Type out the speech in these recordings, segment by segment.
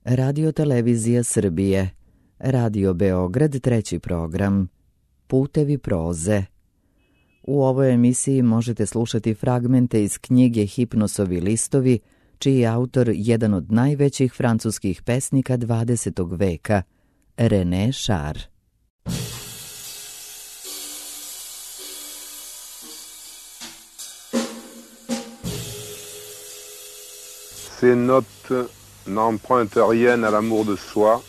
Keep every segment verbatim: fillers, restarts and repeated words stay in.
Radio Televizija Srbije, Radio Beograd, treći program, Putevi proze. U ovoj emisiji možete slušati fragmente iz knjige Hipnosovi listovi, čiji je autor jedan od najvećih francuskih pesnika dvadesetog veka, René Char. Ces notes n'empruntent rien à l'amour de soi,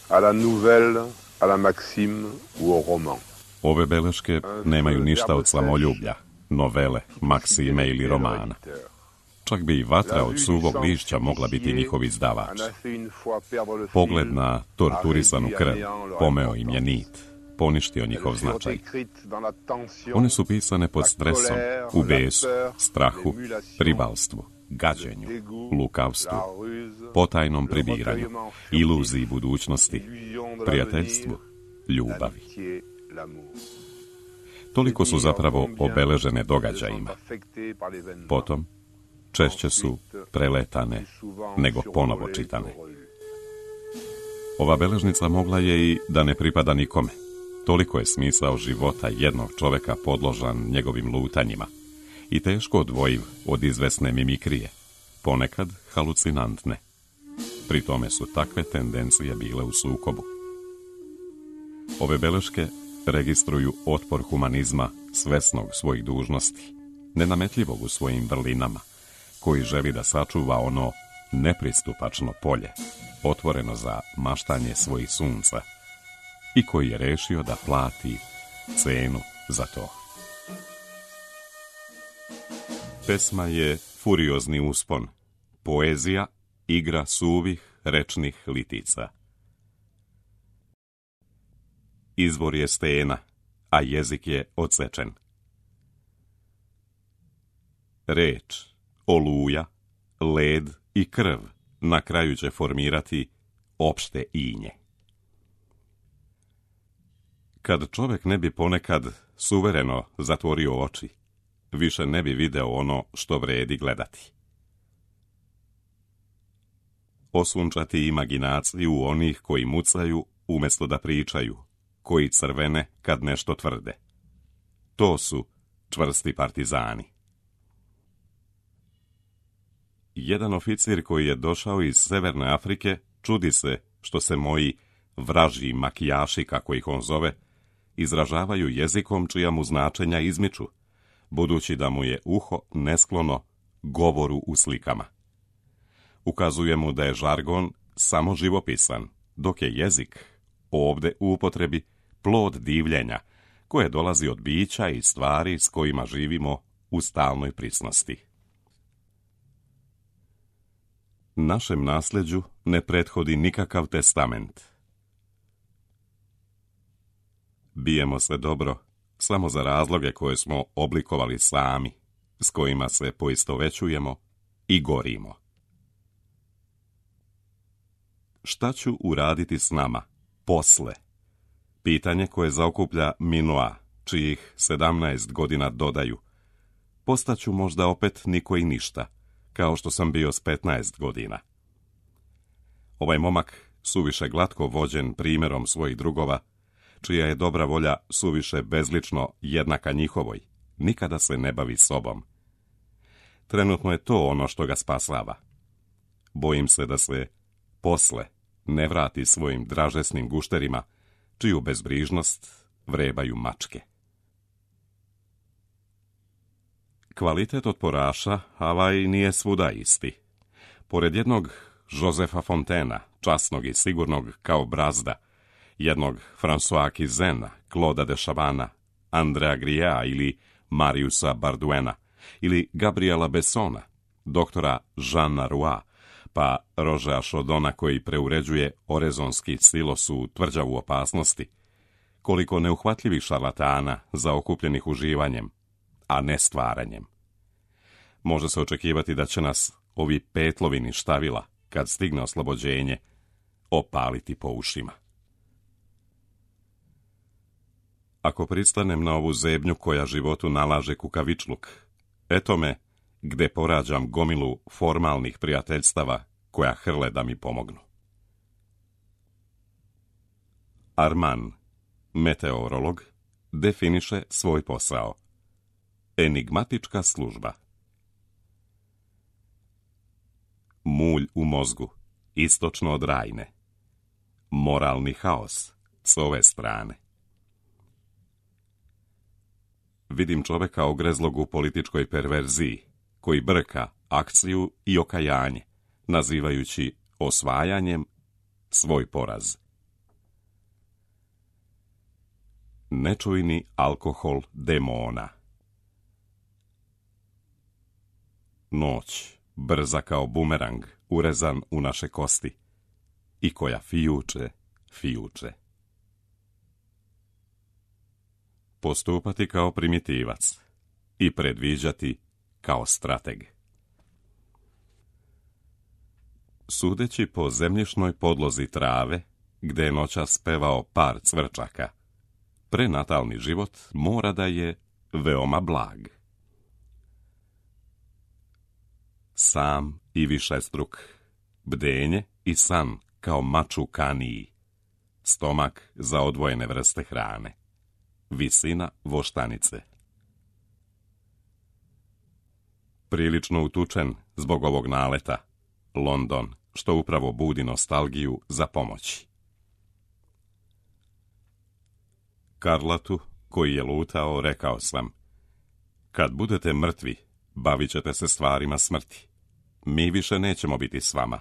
à la nouvelle, à la maxime ou au roman. Ove beleške nemaju ništa od samoljublja, novele, maksime ili romana. Čak bi i vatra od suvog lišća mogla biti njihov izdavač. Pogled na torturisanu krv pomeo im je nit, poništio njihov značaj. One su pisane pod stresom, u besu, strahu, pribalstvu, gađenju, lukavstvu, potajnom pribiranju, iluziji budućnosti, prijateljstvu, ljubavi. Toliko su zapravo obeležene događajima. Potom, češće su preletane nego ponovo čitane. Ova beležnica mogla je i da ne pripada nikome. Toliko je smisao života jednog čoveka podložan njegovim lutanjima i teško odvojiv od izvesne mimikrije, ponekad halucinantne. Pri tome su takve tendencije bile u sukobu. Ove beleške registruju otpor humanizma svesnog svojih dužnosti, nenametljivog u svojim vrlinama, koji želi da sačuva ono nepristupačno polje, otvoreno za maštanje svojih sunca, i koji je rešio da plati cenu za to. Pesma je furiozni uspon, poezija igra suvih rečnih litica. Izvor je stena, a jezik je odsečen. Reč, oluja, led i krv na kraju će formirati opšte inje. Kad čovek ne bi ponekad suvereno zatvorio oči, više ne bi video ono što vredi gledati. Osunčati imaginaciju onih koji mucaju umjesto da pričaju, koji crvene kad nešto tvrde. To su čvrsti partizani. Jedan oficir koji je došao iz Severne Afrike čudi se što se moji vražji makijaši, kako ih on zove, izražavaju jezikom čija mu značenja izmiču, budući da mu je uho nesklono govoru u slikama. Ukazuje mu da je žargon samo živopisan, dok je jezik, ovde u upotrebi, plod divljenja, koje dolazi od bića i stvari s kojima živimo u stalnoj prisnosti. Našem nasljeđu ne prethodi nikakav testament. Bijemo se dobro samo za razloge koje smo oblikovali sami, s kojima se poistovećujemo i gorimo. Šta ću uraditi s nama posle? Pitanje koje zaokuplja Minoa, čijih sedamnaest godina dodaju. Postaću možda opet niko i ništa, kao što sam bio s petnaest godina. Ovaj momak, suviše glatko vođen primjerom svojih drugova, čija je dobra volja suviše bezlično jednaka njihovoj, nikada se ne bavi sobom. Trenutno je to ono što ga spasava. Bojim se da se posle ne vrati svojim dražesnim gušterima, čiju bezbrižnost vrebaju mačke. Kvalitet otporaša, ali nije svuda isti. Pored jednog Josefa Fontena, časnog i sigurnog kao brazda, jednog François Kizena, Claude de Chavana, Andrea Gria ili Mariusa Barduena, ili Gabriela Bessona, doktora Jeana Roua, pa Rožea Šodona koji preuređuje orezonski silos u tvrđavu opasnosti, koliko neuhvatljivih šarlatana zaokupljenih uživanjem, a ne stvaranjem. Može se očekivati da će nas ovi petlovini štavila, kad stigne oslobođenje, opaliti po ušima. Ako pristanem na ovu zebnju koja životu nalaže kukavičluk, eto me gde porađam gomilu formalnih prijateljstava koja hrle da mi pomognu. Arman, meteorolog, definiše svoj posao. Enigmatička služba. Mulj u mozgu, istočno od Rajne. Moralni haos, s ove strane. Vidim čoveka ogrezlog u političkoj perverziji, koji brka akciju i okajanje, nazivajući osvajanjem svoj poraz. Nečujni alkohol demona. Noć, brza kao bumerang, urezan u naše kosti, i koja fijuče, fijuče. Postupati kao primitivac i predviđati kao strateg. Sudeći po zemljišnoj podlozi trave, gde je noćas pevao par cvrčaka, prenatalni život mora da je veoma blag. Sam i višestruk, bdenje i san kao mač u kaniji, stomak za odvojene vrste hrane, visina voštanice. Prilično utučen zbog ovog naleta, London, što upravo budi nostalgiju za pomoći. Karlatu, koji je lutao, rekao sam: kad budete mrtvi, bavit ćete se stvarima smrti. Mi više nećemo biti s vama.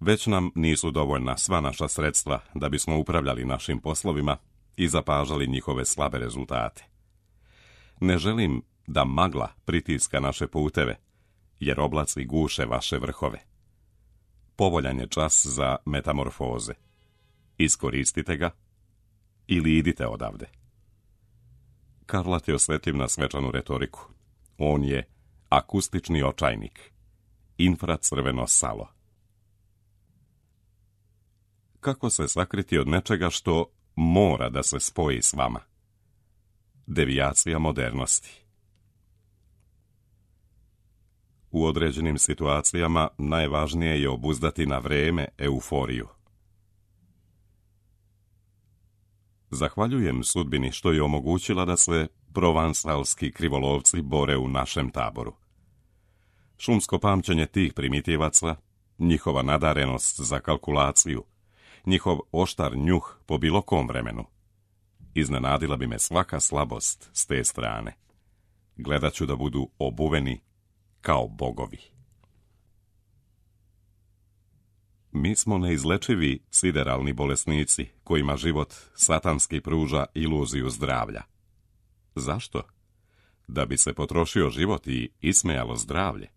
Već nam nisu dovoljna sva naša sredstva da bismo upravljali našim poslovima i zapažali njihove slabe rezultate. Ne želim da magla pritiska naše puteve, jer oblaci guše vaše vrhove. Povoljan je čas za metamorfoze. Iskoristite ga ili idite odavde. Karlat je osjetljiv na svečanu retoriku. On je akustični očajnik, infracrveno salo. Kako se sakriti od nečega što mora da se spoji s vama? Devijacija modernosti. U određenim situacijama najvažnije je obuzdati na vreme euforiju. Zahvaljujem sudbini što je omogućila da se provansalski krivolovci bore u našem taboru. Šumsko pamćenje tih primitivaca, njihova nadarenost za kalkulaciju, njihov oštar njuh po bilo kom vremenu. Iznenadila bi me svaka slabost s te strane. Gledat ću da budu obuveni kao bogovi. Mi smo neizlečivi sideralni bolesnici kojima život satanski pruža iluziju zdravlja. Zašto? Da bi se potrošio život i ismejalo zdravlje.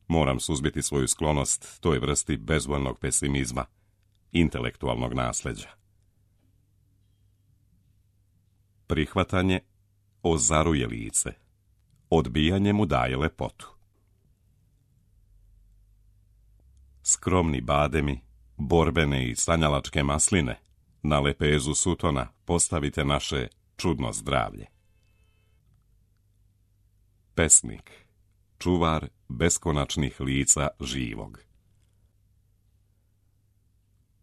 Moram suzbiti svoju sklonost toj vrsti bezvoljnog pesimizma, intelektualnog nasljeđa. Prihvatanje ozaruje lice, odbijanje mu daje lepotu. Skromni bademi, borbene i sanjalačke masline, na lepezu sutona postavite naše čudno zdravlje. Pesnik, čuvar beskonačnih lica živog.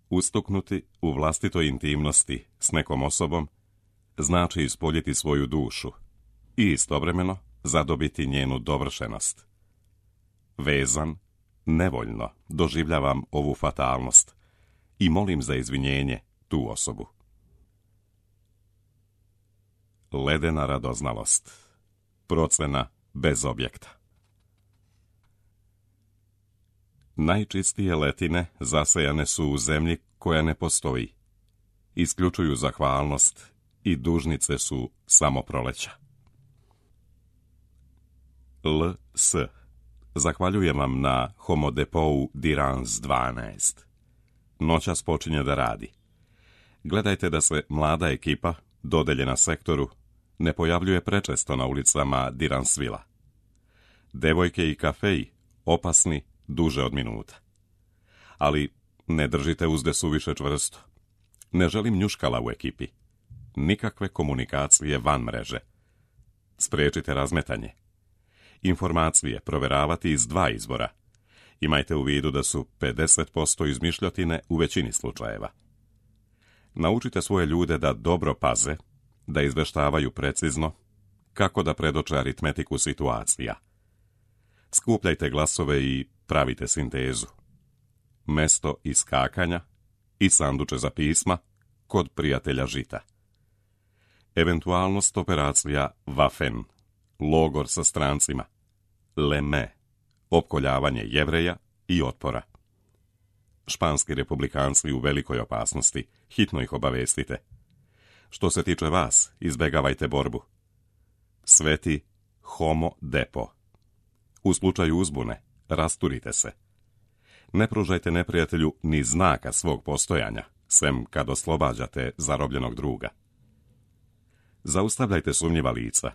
Ustuknuti u vlastitoj intimnosti s nekom osobom znači ispoljiti svoju dušu i istovremeno zadobiti njenu dovršenost. Vezan, nevoljno doživljavam ovu fatalnost i molim za izvinjenje tu osobu. Ledena radoznalost, procena bez objekta. Najčistije letine zasejane su u zemlji koja ne postoji. Isključuju zahvalnost i dužnice su samo proleća. L S Zahvaljujem vam na Homodepou Dirans dvanaest. Noćas počinje da radi. Gledajte da se mlada ekipa, dodeljena sektoru, ne pojavljuje prečesto na ulicama Diransvila. Devojke i kafeji, opasni duže od minuta. Ali ne držite uzde suviše čvrsto. Ne želim njuškala u ekipi. Nikakve komunikacije van mreže. Spriječite razmetanje. Informacije proveravati iz dva izvora. Imajte u vidu da su pedeset posto izmišljotine u većini slučajeva. Naučite svoje ljude da dobro paze, da izveštavaju precizno, kako da predoče aritmetiku situacija. Skupljajte glasove i pravite sintezu. Mesto iskakanja i sanduče za pisma kod prijatelja žita. Eventualnost operacija Waffen, logor sa strancima, Leme, opkoljavanje Jevreja i otpora. Španski republikanci u velikoj opasnosti, hitno ih obavestite. Što se tiče vas, izbegavajte borbu. Sveti homo depo. U slučaju uzbune, rasturite se. Ne pružajte neprijatelju ni znaka svog postojanja, sem kad oslobađate zarobljenog druga. Zaustavljajte sumnjiva lica.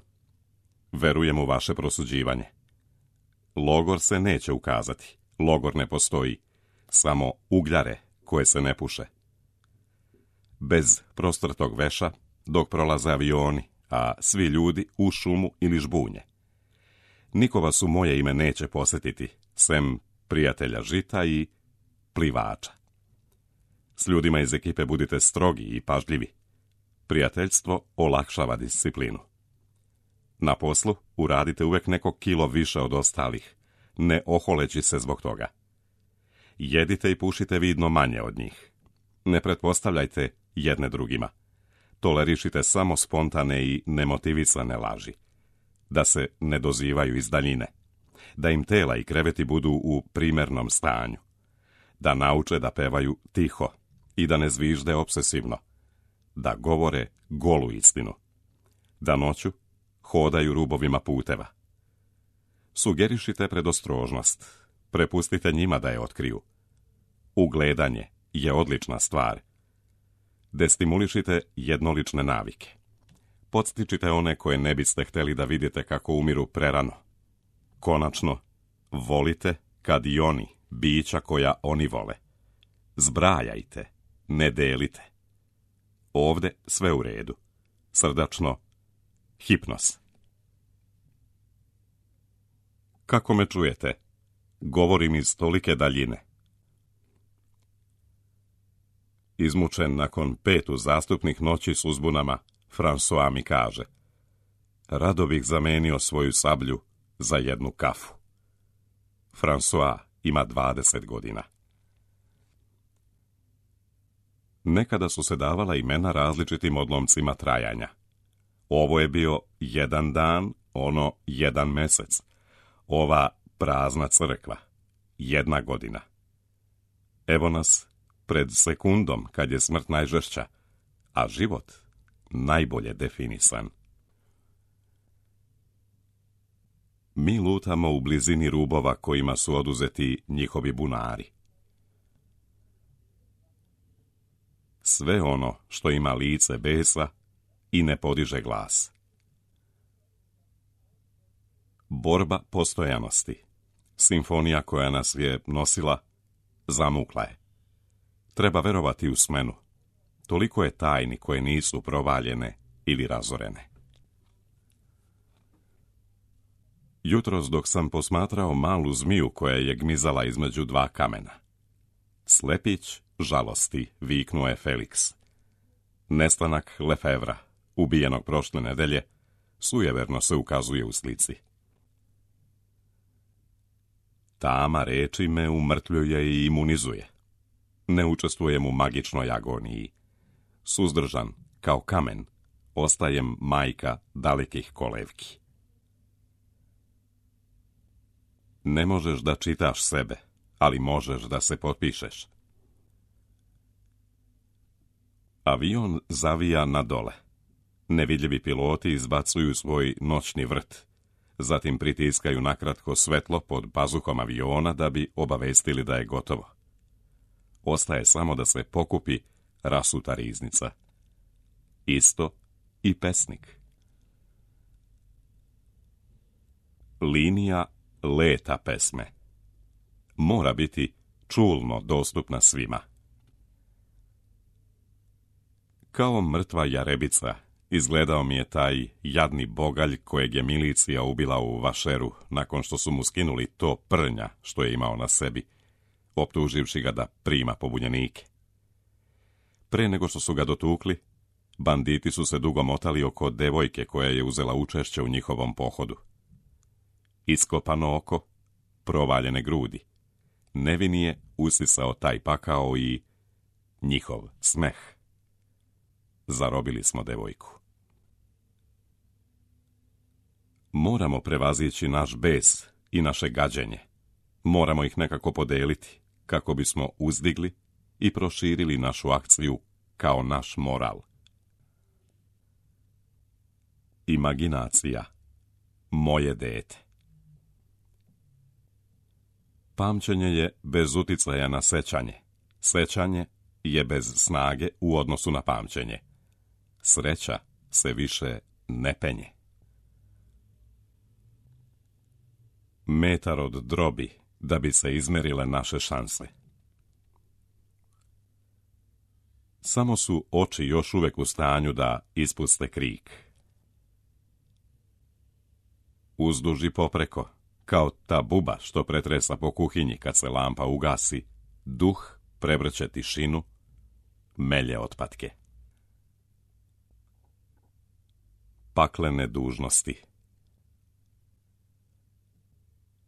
Verujem u vaše prosuđivanje. Logor se neće ukazati, logor ne postoji, samo ugljare koje se ne puše. Bez prostrtog veša, dok prolaze avioni, a svi ljudi u šumu ili žbunje. Niko vas u moje ime neće posjetiti, sem prijatelja žita i plivača. S ljudima iz ekipe budite strogi i pažljivi. Prijateljstvo olakšava disciplinu. Na poslu uradite uvek neko kilo više od ostalih, ne oholeći se zbog toga. Jedite i pušite vidno manje od njih. Ne pretpostavljajte jedne drugima. Tolerišite samo spontane i nemotivisane laži. Da se ne dozivaju iz daljine. Da im tela i kreveti budu u primernom stanju. Da nauče da pevaju tiho i da ne zvižde obsesivno. Da govore golu istinu. Da noću hodaju rubovima puteva. Sugerišite predostrožnost. Prepustite njima da je otkriju. Ugledanje je odlična stvar. Destimulišite jednolične navike. Podstičite one koje ne biste htjeli da vidite kako umiru prerano. Konačno, volite kad i oni, bića koja oni vole. Zbrajajte, ne delite. Ovde sve u redu. Srdačno, Hipnos. Kako me čujete? Govorim iz tolike daljine. Izmučen nakon pet uzastupnih noći s uzbunama, François mi kaže: rado bih zamenio svoju sablju za jednu kafu. François ima dvadeset godina. Nekada su se davala imena različitim odlomcima trajanja. Ovo je bio jedan dan, ono jedan mesec. Ova prazna crkva, jedna godina. Evo nas pred sekundom kad je smrt najžešća, a život najbolje definisan. Mi lutamo u blizini rubova kojima su oduzeti njihovi bunari. Sve ono što ima lice besa i ne podiže glas. Borba postojanosti, simfonija koja nas je nosila, zamukla je. Treba verovati u smenu. Toliko je tajni koje nisu provaljene ili razorene. Jutros dok sam posmatrao malu zmiju koja je gmizala između dva kamena. Slepić žalosti, viknuo je Felix. Nestanak Lefevra, ubijenog prošle nedelje, sujeverno se ukazuje u slici. Tama reči me umrtljuje i imunizuje. Ne učestvujem u magičnoj agoniji. Suzdržan, kao kamen, ostajem majka dalekih kolevki. Ne možeš da čitaš sebe, ali možeš da se potpišeš. Avion zavija na dole. Nevidljivi piloti izbacuju svoj noćni vrt. Zatim pritiskaju nakratko svetlo pod pazuhom aviona da bi obavestili da je gotovo. Ostaje samo da se pokupi rasuta riznica. Isto i pesnik. Linija leta pesme. Mora biti čulno dostupna svima. Kao mrtva jarebica izgledao mi je taj jadni bogalj kojeg je milicija ubila u Vašeru nakon što su mu skinuli to prnja što je imao na sebi, optuživši ga da prima pobunjenike. Pre nego što su ga dotukli, banditi su se dugo motali oko devojke koja je uzela učešće u njihovom pohodu. Iskopano oko, provaljene grudi. Nevin je usisao taj pakao i njihov smeh. Zarobili smo devojku. Moramo prevazići naš bes i naše gađenje. Moramo ih nekako podeliti, kako bismo uzdigli i proširili našu akciju kao naš moral. Imaginacija. Moje dete. Pamćenje je bez uticaja na sećanje. Sećanje je bez snage u odnosu na pamćenje. Sreća se više ne penje. Metar od drobi da bi se izmerile naše šanse. Samo su oči još uvek u stanju da ispuste krik. Uzduži popreko, kao ta buba što pretresa po kuhinji kad se lampa ugasi, duh prevrće tišinu, melje otpatke. Paklene dužnosti.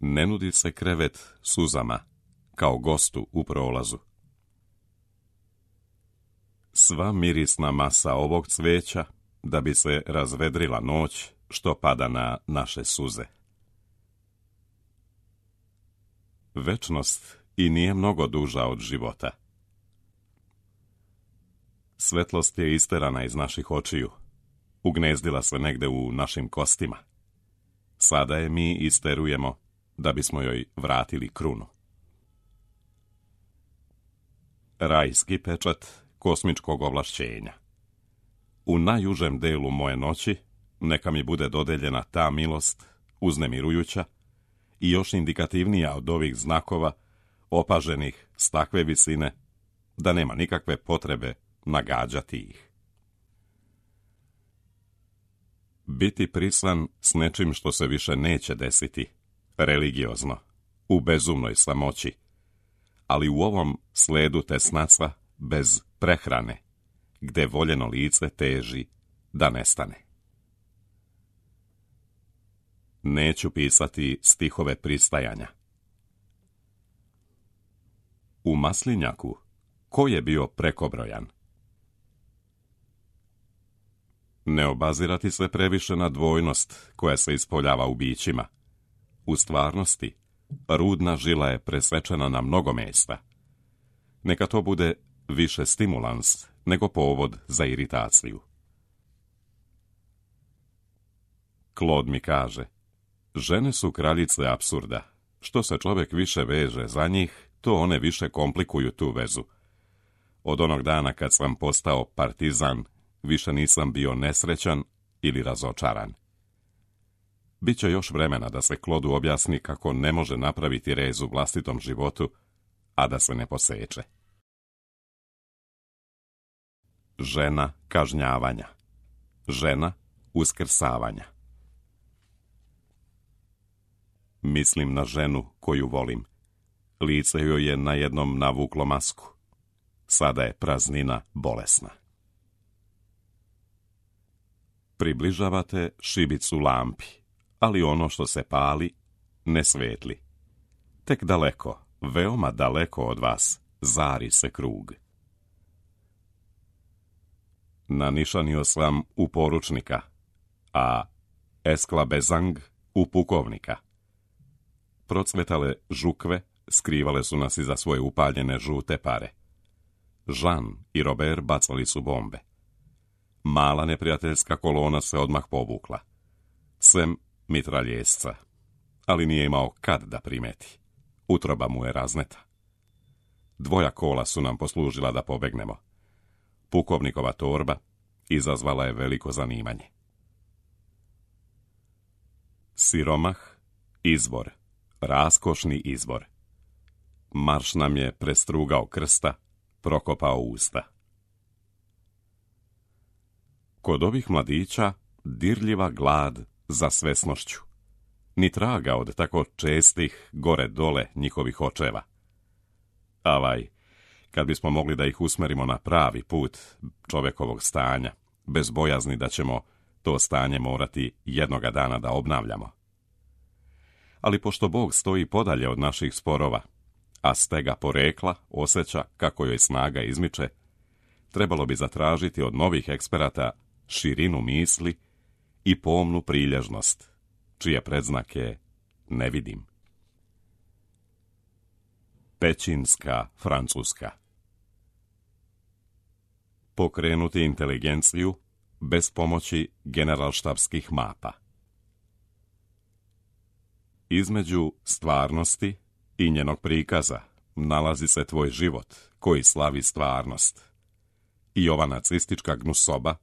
Ne nudi se krevet suzama, kao gostu u prolazu. Sva mirisna masa ovog cveća, da bi se razvedrila noć što pada na naše suze. Večnost i nije mnogo duža od života. Svetlost je isterana iz naših očiju, ugnezdila se negde u našim kostima. Sada je mi isterujemo da bismo joj vratili krunu. Rajski pečat kosmičkog ovlašćenja. U najužem delu moje noći neka mi bude dodeljena ta milost, uznemirujuća i još indikativnija od ovih znakova, opaženih s takve visine, da nema nikakve potrebe nagađati ih. Biti prisan s nečim što se više neće desiti, religiozno, u bezumnoj samoći, ali u ovom sledu tesnaca bez prehrane, gde voljeno lice teži da nestane. Neću pisati stihove pristajanja. U maslinjaku, ko je bio prekobrojan? Ne obazirati se previše na dvojnost koja se ispoljava u bićima. U stvarnosti, rudna žila je presečena na mnogo mesta. Neka to bude više stimulans nego povod za iritaciju. Claude mi kaže, žene su kraljice apsurda. Što se čovjek više veže za njih, to one više komplikuju tu vezu. Od onog dana kad sam postao partizan, više nisam bio nesrećan ili razočaran. Biće još vremena da se Claude objasni kako ne može napraviti rez u vlastitom životu, a da se ne poseče. Žena kažnjavanja. Žena uskrsavanja. Mislim na ženu koju volim. Lice joj je na jednom navuklo masku. Sada je praznina bolesna. Približavate šibicu lampi, ali ono što se pali ne svetli. Tek daleko, veoma daleko od vas, zari se krug. Nanišanio sam u poručnika, a esklabezang u pukovnika. Procvetale žukve skrivale su nas iza svoje upaljene žute pare. Jean i Robert bacali su bombe. Mala neprijateljska kolona se odmah povukla. Sem mitraljesca, ali nije imao kad da primeti. Utroba mu je razneta. Dvoja kola su nam poslužila da pobegnemo. Pukovnikova torba izazvala je veliko zanimanje. Siromah, izbor, raskošni izbor. Marš nam je prestrugao krsta, prokopao usta. Kod ovih mladića dirljiva glad za svesnošću. Ni traga od tako čestih gore-dole njihovih očeva. Avaj, kad bismo mogli da ih usmerimo na pravi put čovekovog stanja, bez bojazni da ćemo to stanje morati jednoga dana da obnavljamo. Ali pošto Bog stoji podalje od naših sporova, a stega porekla osjeća kako joj snaga izmiče, trebalo bi zatražiti od novih eksperata širinu misli i pomnu prilježnost, čije predznake ne vidim. Pećinska Francuska. Pokrenuti inteligenciju bez pomoći generalštabskih mapa. Između stvarnosti i njenog prikaza nalazi se tvoj život koji slavi stvarnost i ova nacistička gnusoba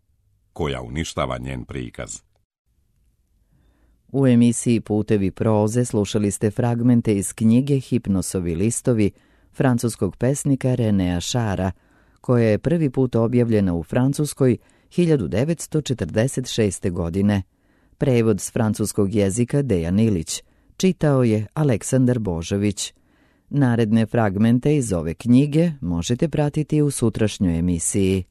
koja uništava njen prikaz. U emisiji Putevi proze slušali ste fragmente iz knjige Hipnosovi listovi francuskog pesnika Renéa Chara, koja je prvi put objavljena u Francuskoj hiljadu devetsto četrdeset šeste. godine. Prevod s francuskog jezika Dejan Ilić. Čitao je Aleksandar Božović. Naredne fragmente iz ove knjige možete pratiti u sutrašnjoj emisiji.